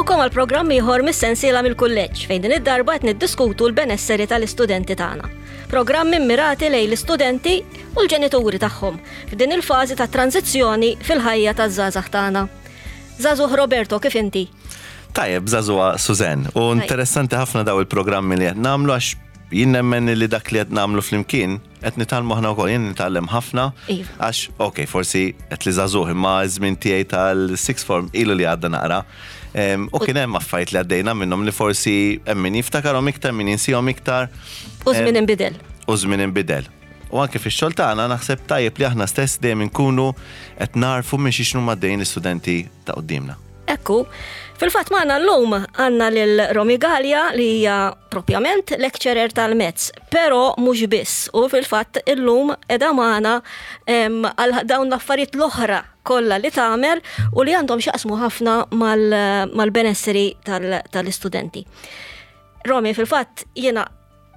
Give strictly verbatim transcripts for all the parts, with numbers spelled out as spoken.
Nilqgħukom għal programm ieħor mis-sensiela mill-kulleġġ, fejn din id-darba qed niddiskutu l-benesseri tal-istudenti tagħna. Programmi mmirati lejn l-istudenti u l-ġenituri tagħhom f'din il-fażi ta' tranzizzjoni fil-ħajja taż-żgħażagħ tagħna. Żagħżugħ Roberto, kif inti? Tajjeb, żagħżugħa Suzen. U interessanti ħafna daw il-programmi li qed nagħmlu, għax jien nemmen li dak li qed nagħmlu flimkien qed nitgħallmu aħna wkoll, jien nitgħallem ħafna Iva. għax ok, forsi qed li żagħżugħ, imma żmien tiegħi tal-sixth form ilu li għadda naqra. Em, U kien hemm affarijiet li għaddejna minnhom li forsi hemm min jiftakarhom iktar, min jinsihom iktar. U żmien inbidel. U żmien inbidel. U anke fix-xogħol tagħna naħseb tajjeb li aħna stess dejjem inkunu qed narfu minn xi x'inhuma għaddejjin l-istudenti ta' quddiemna. Ekku, fil-fatt magħna llum għandna lil Romy Gallia, li hija propjament lecturer tal-maths, pero mhux biss. U fil-fatt illum qiegħda magħna em, għal dawn l-affarijiet l-oħra kollha li tagħmel u li għandhom x'jaqsmu ħafna mal- mal-benesseri tal- tal-istudenti. Romy, fil-fatt jiena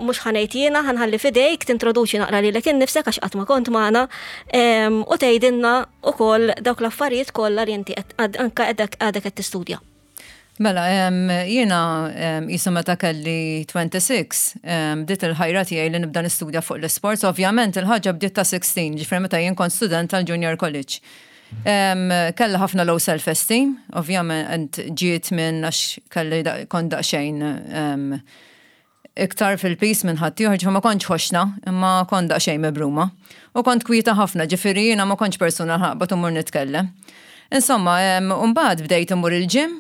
mhux ħa ngħid jiena, ħa nħalli f'idejk tintroduċi naqra lilek innifsek, għax qatt ma kont magħna, em, u tgħidilna wkoll dawk l-affarijiet kollha li inti qed- għad- anka għadek għadek qed tistudja. Mela, em, jiena em, jisu meta kelli tnejn u għoxrin, em, bdiet il-ħajra tiegħi li nibda nistudja fuq l-sports. Ovvjament il-ħaġa bdiet ta' sittax, ġifieri meta jien kont student tal-junior college. Em, Kelli ħafna low self-esteem, ovvjament ġiet minn għax kelli da- kont daqsxejn em, iktar fil-piż minn ħaddieħor, ġifieri ma kontx ħoxna, imma kont daqsxejn mibruma. U kont kwieta ħafna, ġifieri jiena ma kontx persuna ħaqbat immur nitkellem. Insomma, em, mbagħad bdejt immur il-gym,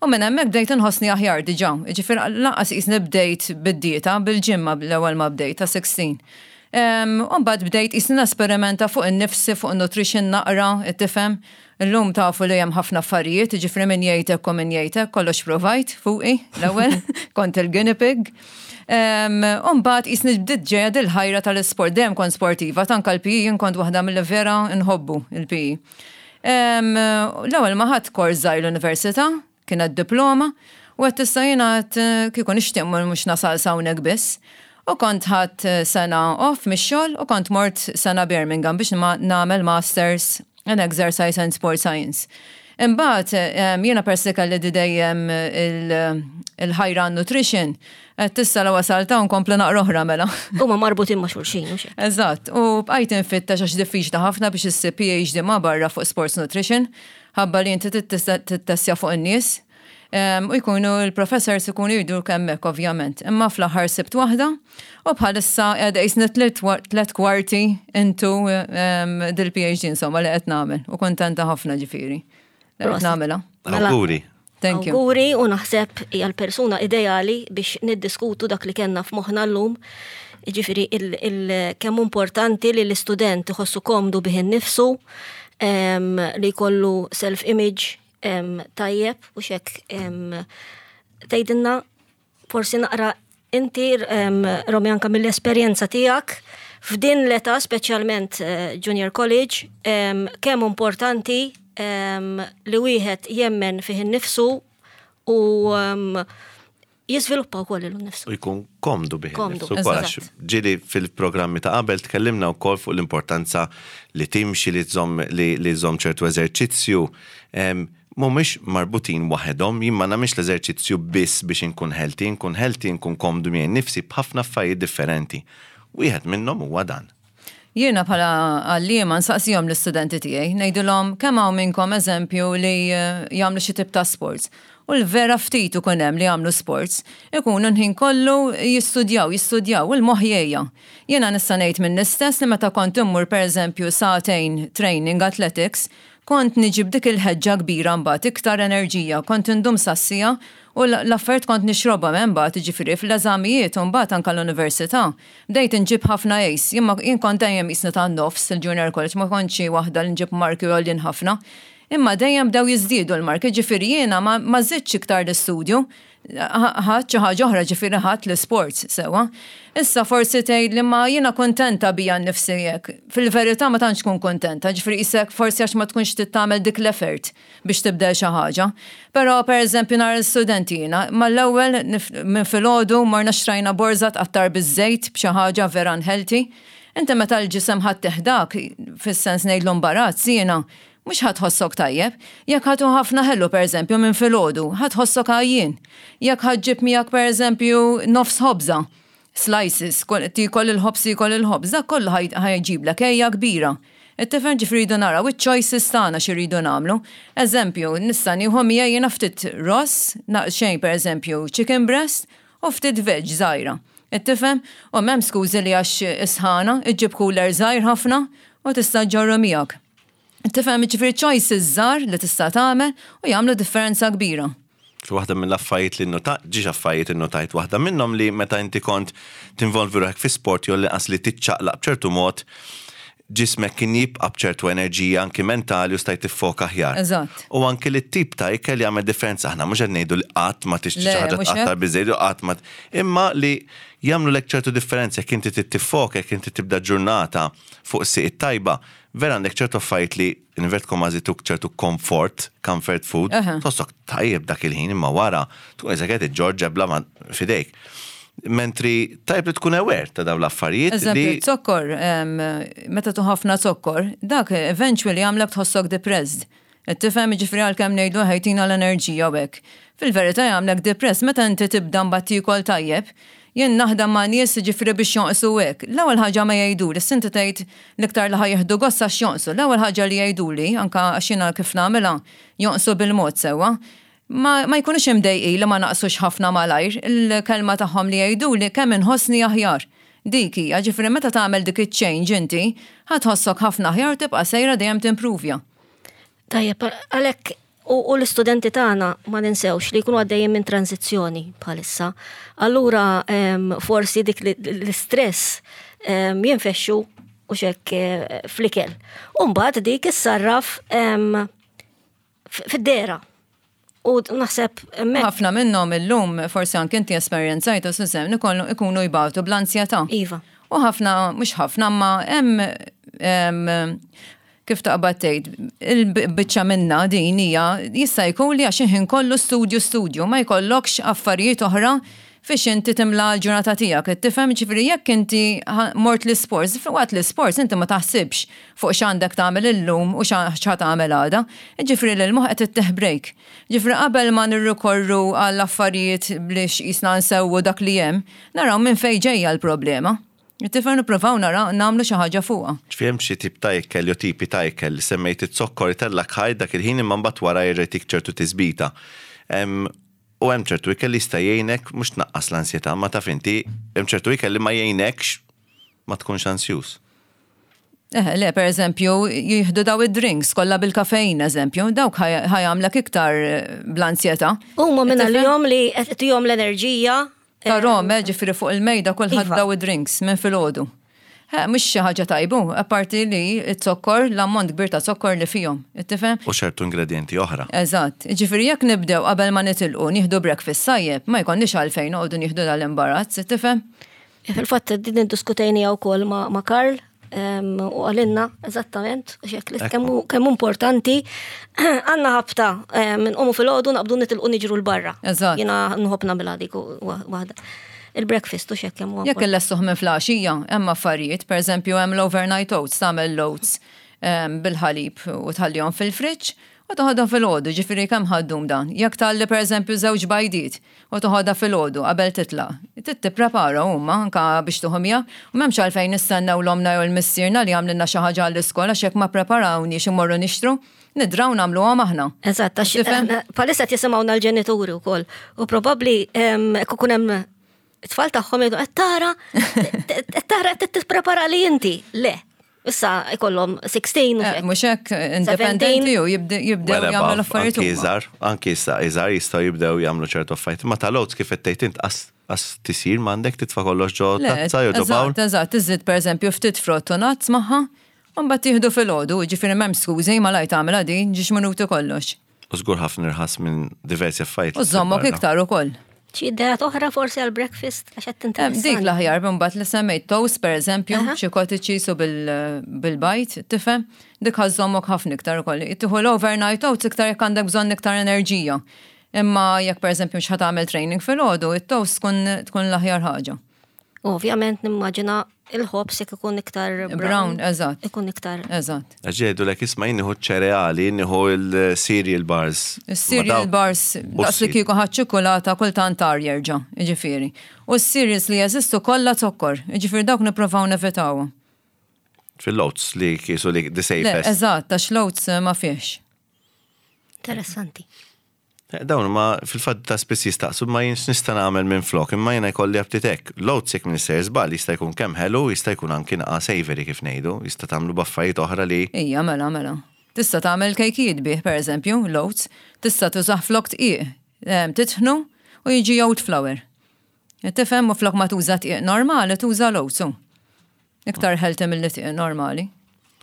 u minn hemmhekk bdejt inħossni aħjar diġà. Ġifieri lanqas qisni bdejt bid-dieta, bil-gym ma l-ewwel ma bdejt ta' sittax. Um, u mbagħad bdejt qisni nesperimenta fuq in-nifsi, fuq nutrition naqra, tifhem. Illum tafu li hemm ħafna affarijiet, ġifieri min jgħidek u min jgħidek, kollox provajt fuqi l-ewwel, kont il-guinea pig. Um, u mbagħad qisni bdiet ġejja dil-ħajra tal-isport, dejjem kont sportiva, anka l-P E jien kont waħda mill vera nħobbu il-P E. Um, L-ewwel ma ħadt kors żgħir l-università, kienet diploma, u għedt issa jiena għedt kieku nixtieq mhux nasal hawnhekk biss. U kont ħadt sena off mix-xogħol u kont mort sena Birmingham biex ma nagħmel Masters in Exercise and Sport Science. Imbagħad em, jiena persi kelli di dejjem il- il-ħajra nutrition, għedt issa la wasalt hawn nkompli naqra oħra mela. Huma marbutin ma' xulxin, u xek. Eżatt, u bqajt infittex għax diffiċli ħafna biex issib P H D ma barra fuq sports nutrition, ħabba li inti tittestja fuq in-nies. Em, U jkunu il-professors ikunu jridu kemmek, ovvjament. Imma fl-aħħar sibt waħda u bħalissa qiegħda qisni tliet wa- tliet kwarti into em, dil-P H D insomma li qed nagħmel u kontenta ħafna, ġifieri li qed Prosit. nagħmilha. Mela. Awguri. Thank you. Awguri, u naħseb hija l-persuna ideali biex niddiskutu dak li kellna f'moħħna llum. Ġifieri il, il, kemm importanti li l-istudent iħossu komdu bih innifsu, em, li jkollu self-image em, tajjeb u xek em, tgħidilna forsi naqra inti, em, Romy, anka mill-esperjenza tiegħek f'din l-età, speċjalment eh, junior college, em, kemm importanti em, li wieħed jemmen fih innifsu u em, jiżviluppa wkoll lilu nnifsu. U jkun komdu bih Komdu, innifsu wkoll, eżatt. Għax ġieli fil-programmi ta' qabel tkellimna wkoll fuq l-importanza li timxi, li tżomm li, li tżomm ċertu eżerċizzju. Em, Mhumiex marbutin waħedhom, jien ma nagħmilx l-eżerċizzju biss biex inkun healthy, inkun healthy, inkun komdu miegħi nnifsi b'ħafna affarijiet differenti. Wieħed minnhom huwa dan. Jiena bħala għalliema nsaqsihom l-istudenti tiegħi, ngħidilhom kemm hawn minnkom, eżempju, li eh, jagħmlu xi tip ta' sports. U l-vera ftit ikun hemm li jagħmlu sports. Ikunu l-ħin kollu jistudjaw, jistudjaw, u l-moħħ jgħejja. Jiena nista' ngħid minn istess li meta kont immur, pereżempju, sagħtejn training athletics, kont niġib dik il-ħeġġa kbira mbagħad, iktar enerġija, kont indum sassija u l- l-affarijiet kont nixrobha minn mbagħad, ġifieri fl-eżamijiet u mbagħad anke l-università. Bdejt inġib ħafna A's, jien ma- jien kont dejjem qisni tan-nofs il-junior college, ma kontx xi waħda li nġib marki għoljin ħafna. Imma dejjem bdew jiżdiedu l-marki, ġifieri jiena ma, ma żidtx iktar l-istudju, ħadt xi ħaġa oħra, ġifieri ħadt l-sports sewa. Issa forsi tgħid li ma jiena kontenta bija nnifsi hekk. Fil-verità ma tantx tkun kontenta, ġifieri isek forsi għax ma tkunx trid tagħmel dik l-effort biex tibdel xi ħaġa. Però pereżempju nhar l-studenti jiena, mal-ewwel nif- minn filgħodu morna xtrajna borża tqattar biż-żejt b'xi ħaġa vera unhealthy. Inti meta l-ġisem ħadd teħdak, fis-sens ngħidlu imbarazz jiena, Mhux ħa tħossok tajjeb. Jekk ħa tieħu ħafna ħelu, per eżempju, minn filgħodu, ħa tħossok għajjien. Jekk ħa ġġib miegħek, per eżempju, nofs ħobża, slices, tiekol il-ħobż, tiekol il-ħobż, dak kollu ħa jġiblek għeja kbira. It-tifel, ġifieri rridu naraw iċ-choices tagħna x'irridu nagħmlu. Eżempju, nista' nieħu miegħi jiena ftit ross, xejn, per eżempju, chicken breast u ftit veg żgħira. Tifhem? U m'hemm skużi li għax isħana, iġġib cooler żgħir ħafna u tista' ġorru miegħek. Tifhem, ġifieri choices żgħar li tista' tagħmel u jagħmlu differenza kbira. Waħda mill-affarijiet li notajt, żewġ affarijiet innotajt, waħda minnhom li meta inti kont tinvolvi ruħek fi sport jew li qas li tiċċaqlaq b'ċertu mod, ġismek kien jibqa' b'ċertu enerġija anki mentali u stajt tiffoka aħjar. Eżatt. U anki li t-tip ta' ikel jagħmel differenza. Aħna mhux qed ngħidu li qatt ma tixtri xi ħaġa tqattar biżejjed u qatt ma, imma li jagħmlu lek ċertu differenza jekk inti tiffoka, jekk inti tibda ġurnata fuq is tajba, vera għandek ċertu affarijiet li invert kważi tuk ċertu comfort, comfort food, tħossok tajjeb dak il-ħin, imma wara tkun eżatt qed iġġorr ġebla ma fidejk. Mentri tajb li tkun aware ta' dawn l-affarijiet. Eżempju, zokkor, meta tieħu ħafna zokkor, dak eventually jagħmlek tħossok depressed. Tifhem, ġifieri għalkemm ngħidu ħa jtina l-enerġija u hekk. Fil-verità jagħmlek depressed. Meta inti tibda mbagħad tiekol tajjeb, jien naħdem ma' nies, ġifieri biex jonqsu hekk. L-ewwel ħaġa ma jgħidu li inti tgħid l-iktar li ħa jieħdu gost għax jonqsu. L-ewwel ħaġa li jgħiduli, anka għax jiena kif nagħmilha jonqsu bil-mod sewwa, Ma, ma jkunux imdejqi li ma naqsux ħafna malajr, il-kelma tagħhom li jgħidu li kemm inħossni aħjar. Dik hija, ġifieri meta tagħmel dik iċ-change inti, ħa tħossok ħafna aħjar, tibqa' sejra dejjem timprovja. Tajjeb, għalhekk u, u l-istudenti tagħna ma ninsewx li jkunu għaddejjin minn tranzizzjoni bħalissa. Allura em, forsi dik li- l-istress em, jinfexxu u xek eh, fl-ikel. U mbagħad dik issarraf em, f- fid-dehra. U naħseb hemmhekk Ħafna minnhom illum, forsi anke inti esperjenzajtu, Susan, ikunu ikunu jbatu bl-ansjetà. Iva. U ħafna, mhux ħafna, ma hemm em, kif taqbad tgħid, il-biċċa minna din hija jista' jkun li għax ħin kollu studju studju, ma jkollokx affarijiet oħra fiex inti timla l-ġurnata tiegħek. Tifhem, ġifieri jekk inti ħa- mort l-sports, waqt l-sports inti ma taħsibx fuq x'għandek tagħmel illum u x'ħa tagħmel għada. Ġifieri l-moħħ qed ittih break. Ġifieri qabel ma nirrikorru għall affarijiet biex jisna nsewwu dak li hemm, naraw minn fejn ġejja l-problema. Tifhem, nippruvaw nara nagħmlu xi ħaġa fuqha. Ġifieri hemm xi tip ta' ikel jew tipi ta' ikel li semmejt iz-zokkor itellgħek high dak il-ħin, imma mbagħad wara jerġa' jtik ċertu tisbita. Em, U hemm ċertu ikel li jista' jgħinek mhux tnaqqas l-ansjetà, ma taf inti hemm ċertu ikel li ma jgħinekx ma tkunx ansjuż. Eh, le, per eżempju, jieħdu daw id-drinks kollha bil-kafein, eżempju, dawk ħa jagħmlek iktar eh, bl-ansjetà. Huma minn Tifhem? għalihom li qed tihom l-enerġija. Ta' rom, eh, ġifieri fuq il-mejda kulħadd Iva. daw id-drinks minn filgħodu. Eh, mhux xi ħaġa tajbu, apparti li z-zokkor, l-ammont kbir ta' zokkor li fihom. Tifhem? U ċertu ingredienti oħra. Eżatt, ġifieri jekk nibdew qabel ma nitilqu nieħdu breakfast tajjeb, ma jkollniex għalfejn noqogħdu nieħdu dal-imbarazz, tifhem? Fil-fatt din iddiskutejnieha wkoll ma' ma' Karl em, u qalilna eżattament xek li kemm kemm importanti għandna ħabta em, nqumu filgħodu, naqbdu nitilqu niġru 'l barra. Eżatt. Jiena nħobb nagħmilha dik u- waħda. Il-breakfast u xek kemm huwa Jekk illestuh minn filgħaxija, hemm affarijiet, per eżempju hemm l-overnight oats, tagħmel l-oats em, bil-ħalib u tħallihom fil-friġġ u toħodha filgħodu, ġifieri kemm ħa ddum dan. Jekk tgħalli, per eżempju, żewġ bajdiet u toħodha filgħodu qabel titlaq, trid tipprepara huma anka biex tieħu miegħek u m'hemmx għalfejn nistennew l-omna jew l-missierna li għamlilna xi ħaġa għall-iskola, x'jekk ma preparawniex immorru nixtru, nidraw nagħmluhom aħna. Eżatt, għax Tifhem? eh, bħalissa qed jisimgħuna l-ġenituri wkoll. U probabbli em, jekk ikun hemm it-tfal tagħhom jgħidu, "Qed tara, qed tara qed tipprepara li inti." Le. Issa ikollhom sittax u Eh, xek. Mhux hekk, independenti u jibde- jibdew Well jagħmlu above, l-affarijiet anki huma. iżgħar, anki issa iżgħar jistgħu jibdew jagħmlu ċertu affarijiet. Ma tal-oats, kif qed tgħid int, qas qas tisir m'għandek titfa' kollox ġo Le, tazza jew ġo bowl. Eżatt, eżatt, iżid per eżempju ftit frott u nuts magħha, u mbagħad tieħdu filgħodu, ġifieri m'hemm skużi, ma lajt tagħmilha din, żewġ minuti kollox. U żgur ħafna irħas minn diversi affarijiet. U żommok iktar ukoll. Xi ideat oħra forsi għal breakfast għax qed Em, Dik tinteressani. l-aħjar mbagħad li semmejt, toast per eżempju, Aha. xi cottage cheese u bil- bil-bajd, tifhem? Dik ħa żżommok ħafna iktar ukoll. Tieħu l-overnight oats iktar jekk għandek bżonn iktar enerġija. Imma jekk per eżempju mhux ħa tagħmel training filgħodu, it-toast tkun tkun l-aħjar ħaġa. Ovvjament nimmaġina Il-ħobż jekk ikun iktar Brown, brown, eżatt. ikun iktar. Eżatt. Għax jgħidulek, isma', jien nieħu ċereali, nieħu il-cereal bars. Il-cereal bars, daqs li kieku ħadt ċokolata kultant tar jerġa', jiġifieri. U s-cereals li jeżistu kollha zokkor, jiġifieri dawk nipprovaw nevitaw. Fil-oats li kisu li the Le, safest. eżatt, għax l-oats ma fiex. Interessanti. Eh, Dawn ma fil-fatt ta' spiss jistaqsu ma jien x'nista' nagħmel minn flok, imma jiena jkolli aptit hekk. L-oats jekk minn sejjer żball jista' jkun kemm ħelu, jista' jkun anki naqa savory kif ngħidu, jista' tagħmlu b'affarijiet oħra li Ija, mela, mela. Tista' tagħmel kejkijiet bih, per eżempju, l-oats. Tista' tużah flok dqiq. Em, Titħnu u jiġi oat flour. Tifhem, u flok ma tuża dqiq normali, tuża l-oats. u. Iktar healthy mill dqiq normali.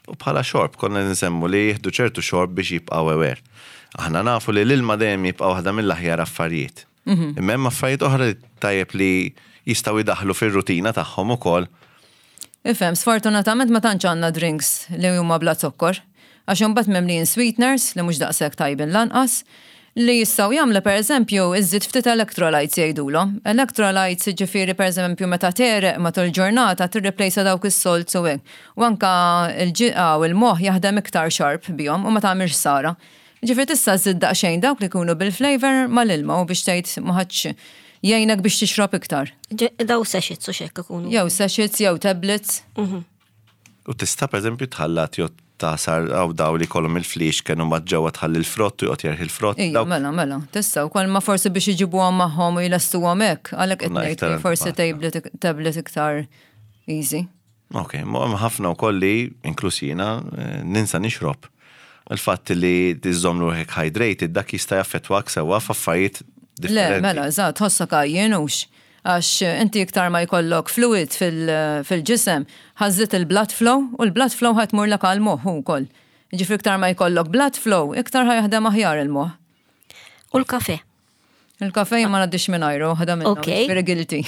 U bħala xorb, konna nsemmu li jieħdu ċertu xorb biex jibqgħu aware. Aħna nafu li l-ilma dejjem jibqa' waħda mill-aħjar affarijiet. Imma hemm affarijiet oħra li tajjeb li jistgħu jdaħlu fir-rutina tagħhom ukoll. Ifhem, sfortunatament ma tantx għandna drinks li huma bla zokkor. Għax imbagħad mimlijin sweeteners li mhux daqshekk tajbin lanqas, li jistgħu jagħmlu, pereżempju, iżid ftit electrolytes jgħidulhom. Electrolytes, ġifieri, pereżempju, meta tegħreq matul ġurnata tirreplejsa dawk is-salts u hekk. U anka il-ġiqa u l-moħħ jaħdem iktar sharp bihom u ma tagħmilx ħsara. Ġifieri tista' żżid daqsxejn dawk li jkunu bil-flavor mal-ilma u biex tgħid ma ħadx jgħinek biex tixrob iktar. Ġe- Daw sachets u xek ikunu. Jew sachets jew tablets. U tista' pereżempju tħallat jew tagħsar għaw daw li kollhom il-flix kienu ma ġewwa tħalli l-frott u joqgħod jerħi l-frott. Ija, Dawk mela, mela, tista' wkoll, ma forsi biex iġibuhom magħhom u jlestuhom hekk, għalhekk qed Na, ngħid iktar li forsi antipatika. tablet tablet iktar easy. Ok, ma hemm ħafna wkoll li, inkluż jiena, eh, ninsa nixrob. Il-fatt li tiżżomm ruħek hydrated, dak jista' jaffettwak sewwa f'affarijiet Le, differenti. mela, eżatt, tħossok għajjien hux. Għax inti iktar ma jkollok fluid fil- fil-ġisem, ħa żżid il-blood flow u l-blood flow ħa tmur lek għal-moħħ ukoll. Ġifieri iktar ma jkollok blood flow, iktar ħa jaħdem aħjar il-moħħ. U l-kafe. Il-kafe ma ngħaddix mingħajru, ħada minnu, Ok. ġifieri guilty.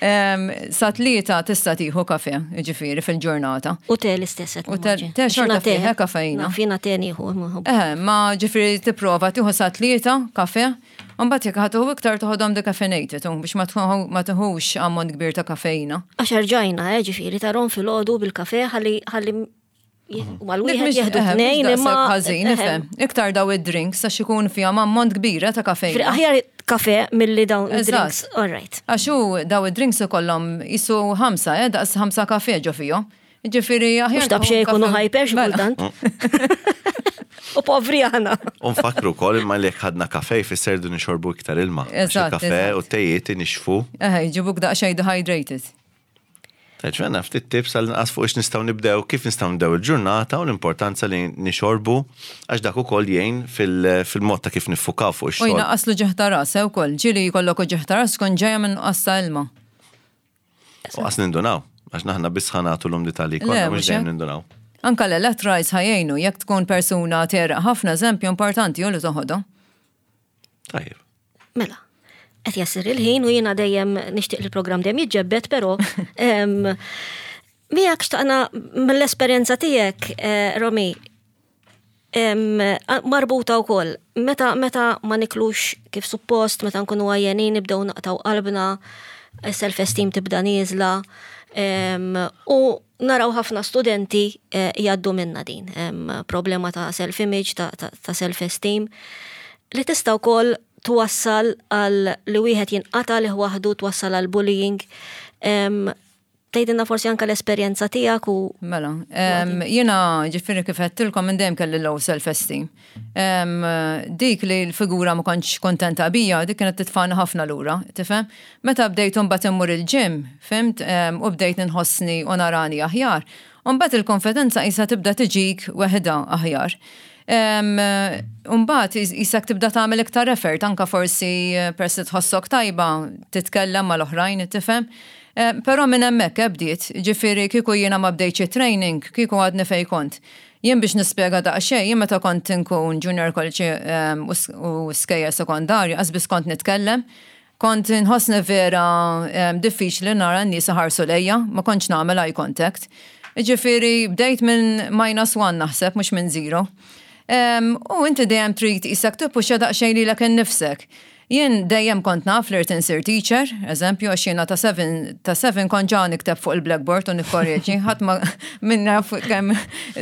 Em, Sa tlieta tista' tieħu kafe, ġifieri fil-ġurnata. U te l-istess. qed U te- nimmaġina. te xorta Xina te- fih, eh, kafeina. Naf, jiena te nieħu. imma nħobb. Eh, ma ġifieri tipprova tieħu sa tlieta kafe, u mbagħad jekk ħa tieħu iktar toħodhom decaffeinated u biex ma tieħu- ma tieħux ammont kbir ta' kafeina. Għax rġajna, eh, ġifieri, tarahom filgħodu bil-kafe, ħalli ħalli mal-wieħed Dik mhix- jieħdu eh, mhix tnejn daqshekk imma. ħażin, eh, nifhem. Iktar daw id-drinks għax ikun fihom ammont kbira ta' Ġifieri kafeina. aħjar kafe milli dawn Eżatt. id-drinks. All right. Għax hu daw id-drinks ikollhom jisu ħamsa, eh, daqs ħamsa kafe ġo fihom. Ġifieri aħjar. Mhux dab xejn jkunu kafe- hyper xi Mela. kultant. U povri aħna. U nfakru wkoll imma li jekk ħadna kafe jfisser du nixorbu iktar ilma. Għax Eżatt, il-kafe eżatt. u tejiet inixfu. Eh, jġibuk daqsxejn dehydrated. Ġvenna, ftit tips għal nqas fuq ix nistgħu nibdew, kif nistgħu nibdew il-ġurnata u l-importanza li nixorbu, għax dak ukoll jgħin fil- fil-mod ta' kif niffukaw fuq U ix-xogħol. jnaqqas l-uġigħ ta' ras, eh, ukoll. Ġieli jkollok uġigħ ta' ras tkun ġejja minn nuqqas ta' ilma. U qas nindunaw, għax naħna biss ħa nagħtu l-umdità li Le, konna mhux mhux dejjem hekk. nindunaw. Anka l-electrolytes ħa jgħinu, jekk tkun persuna tegħreq ħafna, eżempju, importanti u li toħodhom. Tajjeb. Mela, qed jasir il-ħin u jiena dejjem nixtieq li l-programm dejjem jiġġebbed, però em, miegħek xtaqna mill-esperjenza tiegħek, eh, Romy, em, a- marbuta wkoll meta meta ma niklux kif suppost, meta nkunu għajjenin nibdew naqtaw qalbna, self-esteem tibda nieżla, em, u naraw ħafna studenti eh, jgħaddu minna din, em, problema ta' self-image, ta', ta, ta' self-esteem, li tista' wkoll twassal għal li wieħed jinqata li waħdu, twassal għal bullying. Em, Tgħidilna forsi anka l-esperjenza tiegħek u Mela, em, jiena ġifieri kif għedtilkom minn dejjem kelli low self-esteem. Em, dik li l-figura ma kontx kontenta bija, dik kienet titfani ħafna lura, tifhem? Meta bdejt mbagħad immur il-gym, fhimt, Em, u bdejt nħossni u narani aħjar. U mbagħad il-konfidenza qisha tibda tiġik weħda aħjar. Umbagħad qisek tibda tagħmel iktar effort, anka forsi eh, persi tħossok tajba, titkellem mal-oħrajn, tifhem? Eh, Però minn hemmhekk bdiet, ġifieri kieku jiena ma bdejtx training, kieku għadni fej kont. Jien biex nispjega daqsxejn, jien meta kont inkun junior college em, u s- u skejjel sekondarju, qas kont nitkellem, kont nħossni vera em, diffiċli nara n-nies iħarsu lejja, ma kontx nagħmel eye contact. Ġifieri bdejt minn minus one naħseb, mhux minn zero. Em, U inti dejjem trid qisek tippuxja daqsxejn lilek innifsek. Jien dejjem kont naf li rrid insir teacher, eżempju, għax jiena ta' seven, ta' seven kont ġa nikteb fuq il-blackboard u nikkorreġi, ħadd ma minna fuq kemm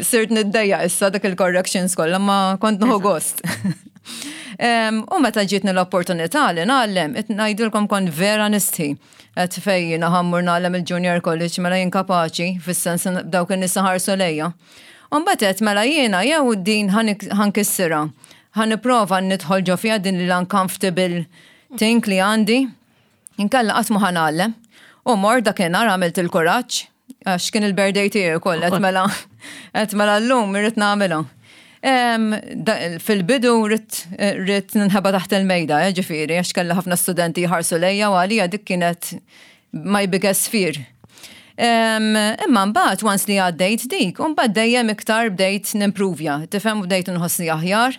sirt niddejja issa dak il-corrections kollha, ma kont nieħu gost. Em, U meta ġietni l-opportunità li ngħallem, qed ngħidilkom kont vera nistħi. Qed fejn jiena ħa mmur ngħallem il-junior college mela jien kapaċi, fis-sens dawk in-nies ħarsu lejja. U mbagħad qed mela jiena jew din ħa nkissirha. Ħa nipprova nidħol ġo fiha din l-uncomfortable thing li għandi. Inkella qatt ma ħa ngħallem. U mort dakinhar għamilt il-kuraġġ, għax kien il-birthday tiegħi ukoll, qed mela qed mela llum irrid nagħmilha. Em, da- Fil-bidu ridt ridt ninħeba taħt il-mejda, eh, ġifieri, għax kelli ħafna studenti jħarsu lejja u għalija dik kienet my biggest fear. Em, Imma mbagħad once li għaddejt dik, u mbagħad dejjem iktar bdejt nimprovja, tifhem u bdejt nħossni aħjar.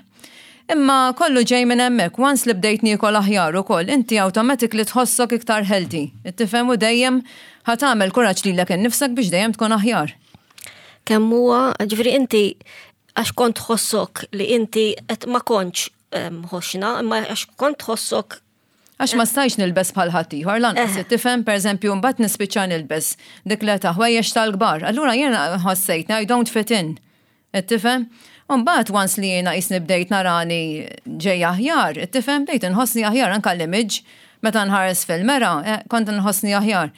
Imma kollu ġej minn hemmhekk, once li bdejt niekol aħjar ukoll, inti automatically tħossok iktar healthy. Tifhem u dejjem ħa tagħmel kuraġġ lilek innifsek biex dejjem tkun aħjar. Kemm huwa, ġifieri inti għax kont tħossok li inti qed ma kontx em, ħoxna, imma għax kont tħossok Għax ma stajx nilbes bħal ħaddieħor, lanqas Eh. tifhem pereżempju mbagħad nispiċċa nilbes dik l ta' ħwejjeġ tal-kbar. Allura jiena ħassejt I don't fit in. Qed tifhem? U mbagħad once li jiena qisni bdejt narani ġej aħjar, tifhem bdejt inħossni aħjar anke l-image meta nħares fil-mera, eh, kont nħossni aħjar.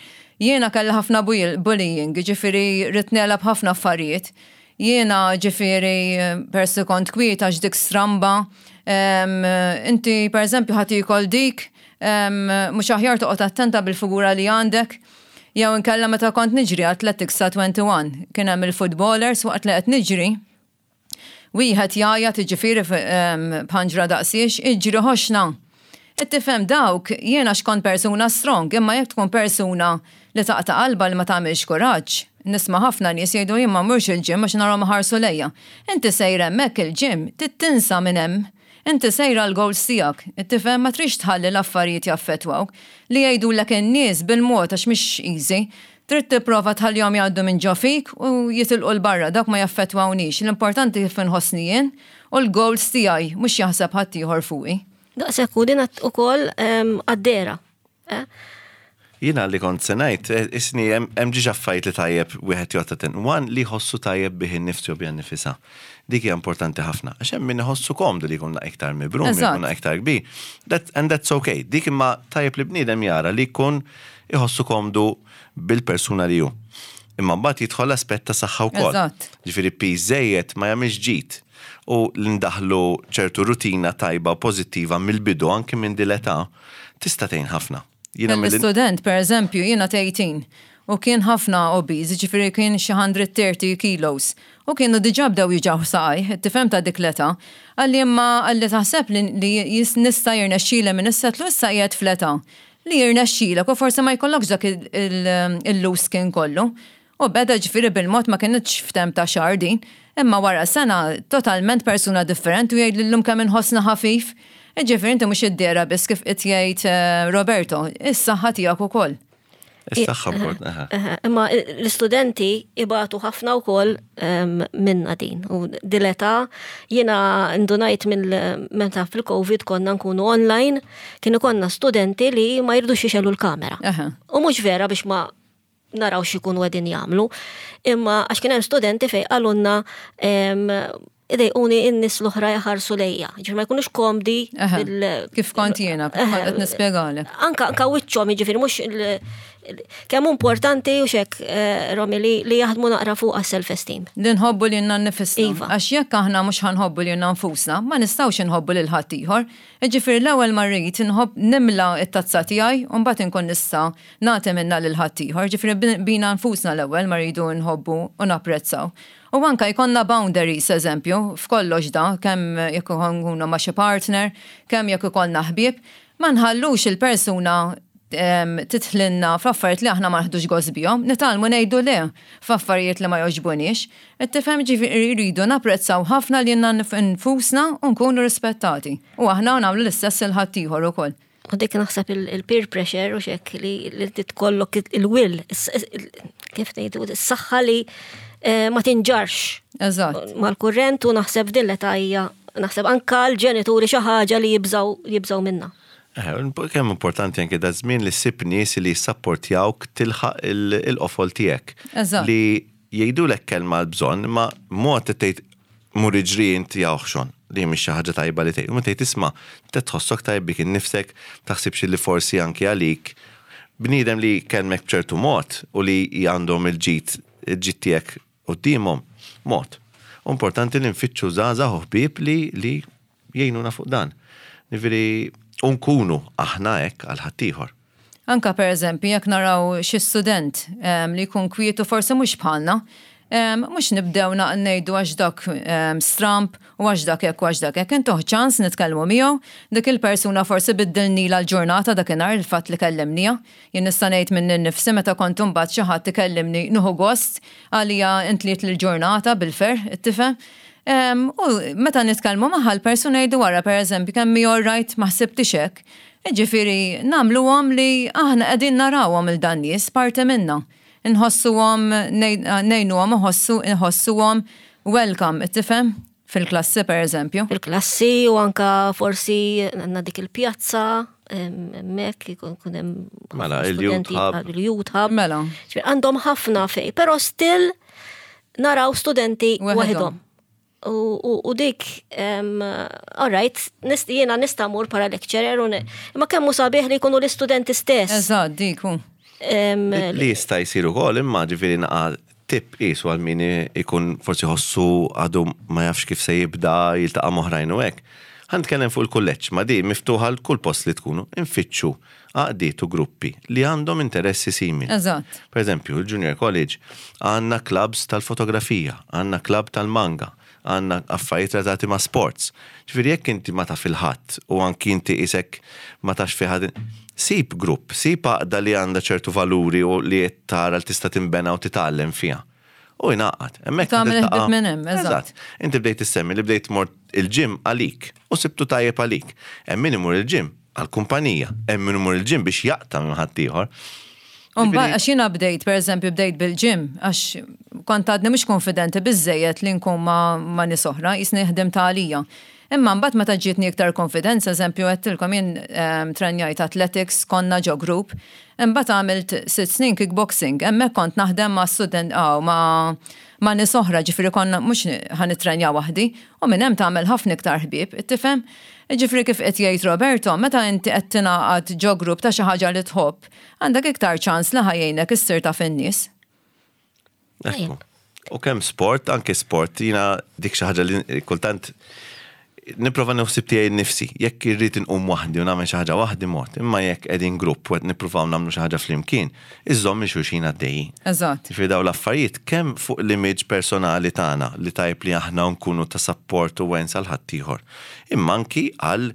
Jiena kelli ħafna bullying, ġifieri ridt negħleb ħafna affarijiet. Jiena ġifieri persi kont kwiet għax dik stramba, em, inti per eżempju ħa tiekol dik, em, mhux aħjar toqgħod attenta bil-figura li għandek. Jew inkella meta kont niġri Athletics ta' wieħed u għoxrin, kien hemm il-footballers waqt li qed niġri, wieħed jgħajjat ġifieri b'ħanġra daqsiex, iġri ħoxna. Tifhem dawk, jiena xkont persuna strong, imma jekk tkun persuna li taqta' qalba li ma tagħmilx kuraġġ, nisma' ħafna nies jgħidu jien ma mmurx il-gym għax narahom ħarsu lejja. Inti sejra hemmhekk il-gym, tinsa minn hemm. Inti sejra l-goals tiegħek, tifhem ma trix tħalli l-affarijiet jaffettwawk. Li jgħidulek in-nies bil-mod għax mhix easy. Trid tipprova tħallihom jgħaddu minn ġo fik u jitilqu 'l barra, dak ma jaffettwawnix. L-importanti kif inħossni jien u l-goals tiegħi mhux jaħseb ħadd ieħor fuqi. Daqshekk u din ukoll għad-dehra. Eh? Jiena li kont se ngħid, eh, isni hemm ġiġ affarijiet li tajjeb wieħed joqgħod attent. One li jħossu tajjeb bih innifsu u biha nnifisha. Dik hija importanti ħafna. Għax hemm min iħossu komdu li jkun iktar mibrum, Eżatt. jkun iktar kbir. That, and that's okay. Dik imma tajjeb li bniedem jara li jkun iħossu komdu bil-persuna li hu. Imma mbagħad jidħol l-aspett ta' saħħa wkoll. Eżatt. Ġifieri piż żejjed ma jagħmilx ġid. U li ndaħlu ċertu rutina tajba u pożittiva mill-bidu anke minn din l-età tista' tgħin ħafna. Jiena mill- L-student, per eżempju, jiena tmintax u kien ħafna obese, ġifieri kien xi mija u tletin kilos. U kienu diġà bdew juġgħuh saqajh, tifhem ta' dik l-età. Qalli imma qalli taħseb li, li jis nista' jirnexxili minn issa tlu issa qiegħed fl-età. Li jirnexxilek u forsi ma jkollokx dak il-loose skin kollu. U beda ġifieri bil-mod ma kienx f'temp ta' xahar din, imma wara sena totalment persuna differenti u jgħid llum kemm inħossna ħafif. Ġifieri inti mhux id-dehra biss kif qed jgħid eh, Roberto, is-saħħa tiegħek ukoll. Is-saħħa importanti. aha. Eh, Imma l-istudenti ibatu ħafna wkoll em, minna din. U dil-età jiena ndunajt minn meta fil-Covid konna nkunu online, kienu konna studenti li ma jridux jixegħlu l-kamera. Aha. U mhux vera biex ma naraw x'ikunu qegħdin jagħmlu, imma għax kien hemm studenti fejn qalulna em, idejquni in-nies l-oħra jaħarsu lejja. Ġifieri ma jkunux komdi Aha. bil- Kif kont jiena, kif kont qed nispjegalek. Anka anka wiċċhom jiġifieri mhux il- il- kemm importanti u xek eh, Romi li, li jaħdmu naqra fuq self-esteem. Li nħobbu lilna nnifisna. Iva. Għax jekk aħna mhux ħa nħobbu lilna nfusna, ma nistgħux nħobbu lil ħaddieħor. Ġifieri l-ewwel ma rrid nħobb nimla it-tazza tiegħi u mbagħad inkun nista' nagħti minnha lil ħaddieħor. Ġifieri bin- bina nfusna l-ewwel ma rridu nħobbu u napprezzaw. U anka jkollna boundaries, eżempju, f'kollox da, kemm jekk nkunu ma' xi partner, kemm jekk ikollna ħbieb, ma nħallux il-persuna em, tidħlilna f'affarijiet li aħna ma naħdux gost bihom, nitgħallmu ngħidu le f'affarijiet li ma jogħġbuniex. Qed tifhem ġifieri rridu napprezzaw ħafna lilna nfusna u nkunu rispettati. U aħna nagħmlu l-istess lil ħaddieħor ukoll. U dik naħseb il- il-peer pressure u xek li li titkollok il-will, is- il- kif ngħidu, is-saħħa li eh, ma tinġarx Eżatt. mal-kurrent u naħseb din l-età hija naħseb anka l-ġenituri xi ħaġa li jibżaw jibżaw minna. Eh, kemm importanti anke da żmien li ssib nies li jissapportjawk tilħaq il-qofol tiegħek. Eżatt. Li jgħidulek kelma l-bżonn, ma mod tgħid mur iġri inti oħxon li mhix xi ħaġa tajba li tgħid. U tgħid isma' tħossok tajb bik innifsek, taħsibx li forsi anke għalik bniedem li kellmek b'ċertu mod u li għandhom il-ġid il-ġid tiegħek quddiemhom mod. Importanti li nfittxu żgħażagħ u ħbieb li li jgħinuna fuq dan. Jiġifieri nkunu aħna hekk għal ħaddieħor. Anka per eżempju, jekk naraw xi student em, li jkun kwietu forsi mhux bħalna, em, mhux nibdew ngħidu għax dak em, stramp u għax dak hekk u għax dak hekk. Intuh ċans nitkellmu miegħu, dik il-persuna forsi biddilnila l-ġurnata dakinhar il-fatt li kellimnija. Jien nista' ngħid minn nifsi meta kont imbagħad xi ħadd ikellimni nieħu gost għalija intliet l-ġurnata bil-ferħ, tifhem. Um, u meta nitkellmu magħha l-persuna jgħidu wara per eżempju kemm hi alright ma ħsibtix hekk. Ġifieri nagħmluhom li aħna qegħdin narawhom lil dan-nies parti minna. Nħossuhom ngħinuhom iħossu nħossuhom welcome, tifhem? Fil-klassi per eżempju. Fil-klassi u anka forsi għandna dik il-pjazza, hemmhekk ikun hemm Mela, ħafna il-youth studenti hub. Il-youth hub. Mela. Ġifieri għandhom ħafna fej, pero still naraw studenti Waħedhom. waħedhom. U, u, u dik, um, all right, nist, jiena nista' mur para lecturer, u ne- imma kemm hu sabiħ li jkunu l-istudenti stess. Eżatt, dik hu. Em, Li jista' jsir ukoll imma ġifieri naqa tip qisu għal min ikun forsi ħossu għadu ma jafx kif se jibda jiltaqa' m'oħrajn u hekk. Ħa nitkellem fuq il-kulleġġ, ma di miftuħa għal kull post li tkunu, infittxu għaqdiet u gruppi li għandhom interessi simili. Eżatt. Per eżempju, il-Junior College għandna clubs tal-fotografija, għandna club tal-manga, għandna affarijiet relatati ma' sports. Ġifieri jekk inti ma taf lil ħadd u anki inti isek ma tafx fi ħadd, sib grupp, sib għaqda li għandha ċertu valuri u li qed tara li tista' tinbena u titgħallem fiha. U jnaqat. Hemmhekk Tagħmel tiltaqa' ħbieb minn hemm, eżatt. Inti bdejt issemmi li bdejt mort il-gym għalik u sibtu tajjeb għalik. Hemm min imur il-gym għal-kumpanija, hemm min imur il-gym biex jaqta' minn ħaddieħor. Umba, għax jiena bdejt, per eżempju, bdejt bil-gym, għax kont għadni mhux konfidenti biżżejjed li nkun ma, ma nies oħra, jisni ħdim ta' għalija. Imma mbagħad meta ġietni iktar konfidenza, eżempju, għedtilkom jien um, trenjajt athletics, konna ġo group, imbagħad għamilt sitt snin kickboxing, hemmhekk kont naħdem ma' student, aw, ma' ma' nies oħra, ġifieri konna mhux ħa nitrenja waħdi, u minn hemm tagħmel ħafna iktar ħbieb, tifhem? Ġifieri kif qed jgħid Roberto, meta inti qed tingħaqad ġo grupp ta' xi ħaġa li tħobb, għandek iktar ċans li ħa jgħinek issir taf in-nies. Ekku. U kemm sport, anke sport, jiena dik xi ħaġa li kultant nipprova naħseb tiegħi nnifsi. Jekk irrid inqum waħdi u nagħmel xi ħaġa waħdi mort, imma jekk qegħdin grupp u qed nippruvaw nagħmlu xi ħaġa flimkien, iżomm xulxin għaddejjin. Eżatt. Ġifieri daw l-affarijiet kemm fuq l-image personali tagħna li tajb li aħna nkunu ta' support u wens għal ħaddieħor. Imma anki għal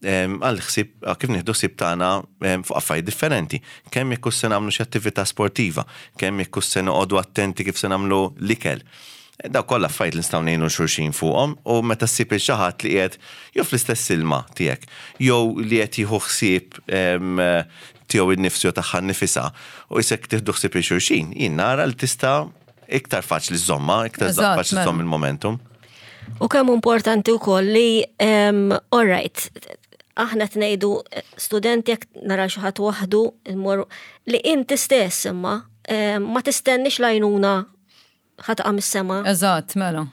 em, għal ħsieb kif nieħdu ħsieb tagħna em, fuq affarijiet differenti. Kemm jekk se nagħmlu xi attività sportiva, kemm jekk se noqogħdu attenti kif se nagħmlu l-ikel. Daw kollha affarijiet li nistgħu ngħinu xulxin fuqhom u meta ssib il xi ħadd li qiegħed jew fl-istess ilma tiegħek, jew li qed jieħu ħsieb em, tiegħu innifsu jew tagħha nnifisha u isek tieħdu ħsieb il xulxin, jien nara li tista' iktar faċli żżommha, iktar Eżatt, faċli mela. żżomm il-momentum. U kemm importanti wkoll li um, all right, aħna tnejdu studenti jekk nara xi ħadd waħdu immorru li inti stess imma em, ma tistennix l-għajnuna ħa taqa' mis-sema. Eżatt, mela.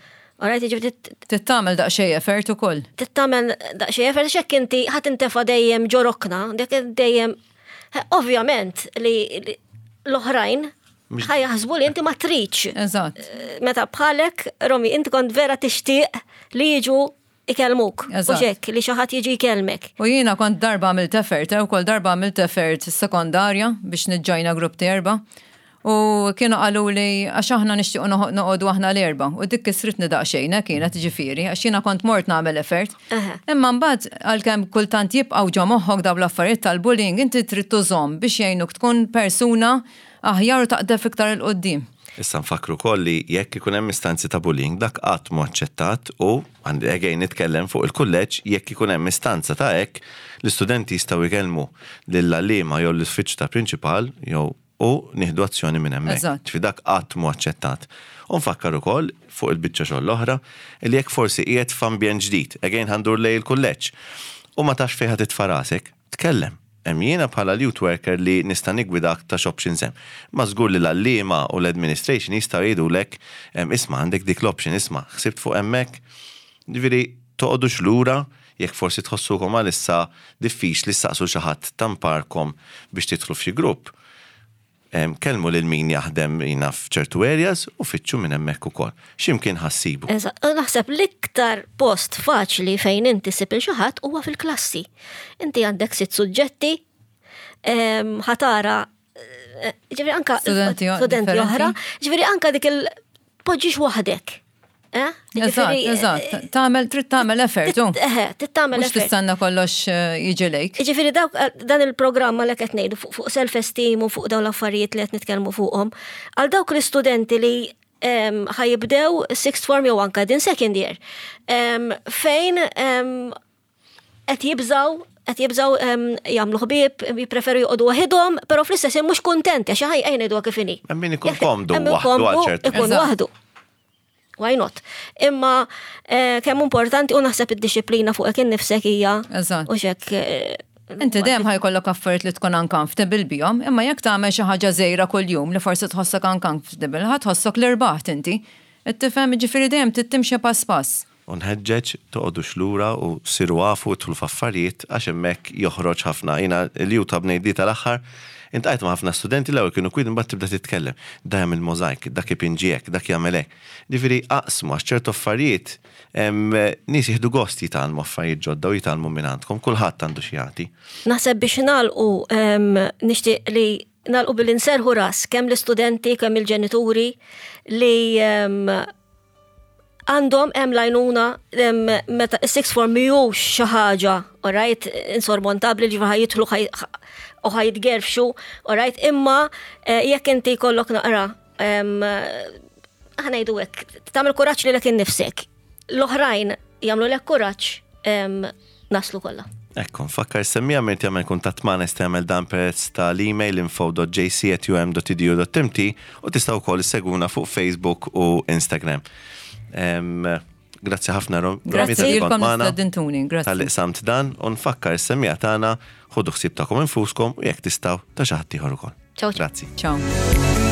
All right, jiġifieri Trid tagħmel daqsxejn effort ukoll. tagħmel daqsxejn effort xek inti ħa tintefa' dejjem ġo rokna, dik dejjem ovvjament li li l-oħrajn ħa jaħsbu li inti ma tridx. Eżatt. Meta bħalek, Romi, inti kont vera tixtieq li jiġu ikellmuk. U Eżatt. xek, li xi ħadd jiġi jkellmek. U jiena kont darba għamilt effort, eh, u kol darba għamilt effort sekondarja biex niġġajna grupp ta' erba. U kienu qalu li għax aħna nixtiequ noħ- noqogħdu aħna l-erba. U dik kisritni daqsxejn, eh, kienet ġifieri, għax jiena kont mort nagħmel effort. Aha. Imma mbagħad għalkemm kultant jibqgħu ġo moħħok dawn l-affarijiet tal-bullying, inti trid tużhom biex jgħinuk tkun persuna aħjar u taqdef iktar 'il quddiem. Issa nfakru koll li jekk ikun hemm istanzi ta' bullying dak qatt mhu aċċettat u għandi again nitkellem fuq il-kulleġġ jekk ikun hemm istanza ta' hekk l-istudenti jistgħu jkellmu lill-għalliema jew l-uffiċċju ta' prinċipal jew u nieħdu azzjoni minn hemmhekk. Eżatt. Ġifieri dak qatt mhu aċċettat. U nfakkar ukoll fuq il-biċċa xogħol l-oħra li jekk forsi qiegħed f'ambjent ġdid, again ħa ndur lejn il-kulleġġ u ma tafx fejn ħa titfa' rasek, Tkellem. Hemm jiena bħala youth worker li nista' nigwidak ta' x'options hemm. Ma żgur li l-għalliema u l-administration jistgħu jgħidulek em, isma' għandek dik l-option, isma' ħsibt fuq hemmhekk. Ġifieri toqgħodux lura jekk forsi tħossukom għalissa diffiċli ssaqsu xi ħadd tamparkom biex tidħlu f'xi grupp. Em, Kellmu lil min jaħdem jina f'ċertu areas u fittxu minn hemmhekk ukoll. X'imkien ħa ssibu. Eżatt, u naħseb l-iktar post faċli fejn inti ssib lil xi ħadd huwa fil-klassi. Inti għandek sitt suġġetti, em, ħa tara, eh, ġifieri anka Studenti o- studenti differenti. oħra, ġifieri anka dik il-poġġix waħdek. Eh? Eżatt, Ġifieri, eżatt. Tagħmel, trid tagħmel effort, u. Eh, trid tagħmel Mhux effort. tistenna kollox eh, jiġi lejk. Ġifieri dawk dan il-programma li qed ngħidu fuq fuq self-esteem u fuq dawn l-affarijiet li qed nitkellmu fuqhom, għal dawk l-istudenti li em, ħa jibdew sixth form jew anka din second year, em, fejn em, qed jibżaw qed jibżaw em, jagħmlu ħbieb, jippreferu joqogħdu waħidhom, però fl-istess ħin mhux kuntenti għax ħaj ejja ngħiduha kif inhi. Hemm min ikun Jekk- komdu hemm min waħdu għal komdu, ċertu Ikun Eżatt. waħdu. Why not? Imma eh, kemm importanti u naħseb id-dixxiplina fuqek innifsek hija Eżatt. u xek eh, Inti dejjem ħa jkollok affarijiet li tkun uncomfortable bihom, imma jekk tagħmel xi ħaġa żgħira kuljum li forsi tħossok uncomfortable, ħa tħossok li rbaħt inti. Tifhem ġifieri dejjem trid timxi pass pass. U nħeġġeġ toqgħodux lura u siru afu tidħlu f'affarijiet għax hemmhekk joħroġ ħafna. Jiena l-Youth Hub ngħidli tal-aħħar, iltqajt ma' ħafna studenti l-ewwel kienu kwiet imbagħad tibda titkellem. Da jagħmel mosaic, dak ipinġi hekk, dak jagħmel hekk. Ġifieri aqsmu għax ċertu affarijiet em, nies jieħdu gost jitgħallmu affarijiet ġodda u jitgħallmu minn għandkom, kulħadd għandu xi jagħti. Naħseb biex nagħlqu em, nixtieq li nagħlqu billi nserħu ras kemm l-istudenti, kemm il-ġenituri li em, għandhom hemm l-għajnuna em, meta sixth form mhijiex xi ħaġa, alright, insormontabbli ġifieri ħa jidħlu ħaj- u ħa jitgerfxu, alright, imma eh, jekk inti jkollok naqra em, ħa ngħidu hekk, tagħmel kuraġġ lilek innifsek. L-oħrajn jagħmlulek kuraġġ em, naslu kollha. Ekku, nfakkar semmiha min jagħmel kuntatt magħna jista' jagħmel dan permezz tal-email info dot J C at U M dot edu dot M T u tistgħu wkoll issegwuna fuq Facebook u Instagram. Em, Grazzi ħafna Rom. Grazzi Romi, talli kont lilkom magħna, istedintuni, grazzi. Talli qsamt dan u nfakkar is-semmiegħa tagħna ħudu ħsieb tagħkom infuskom u jekk tistgħu ta' xi ħadd ieħor ukoll. Ciao, ciao. Grazzi. Ciao.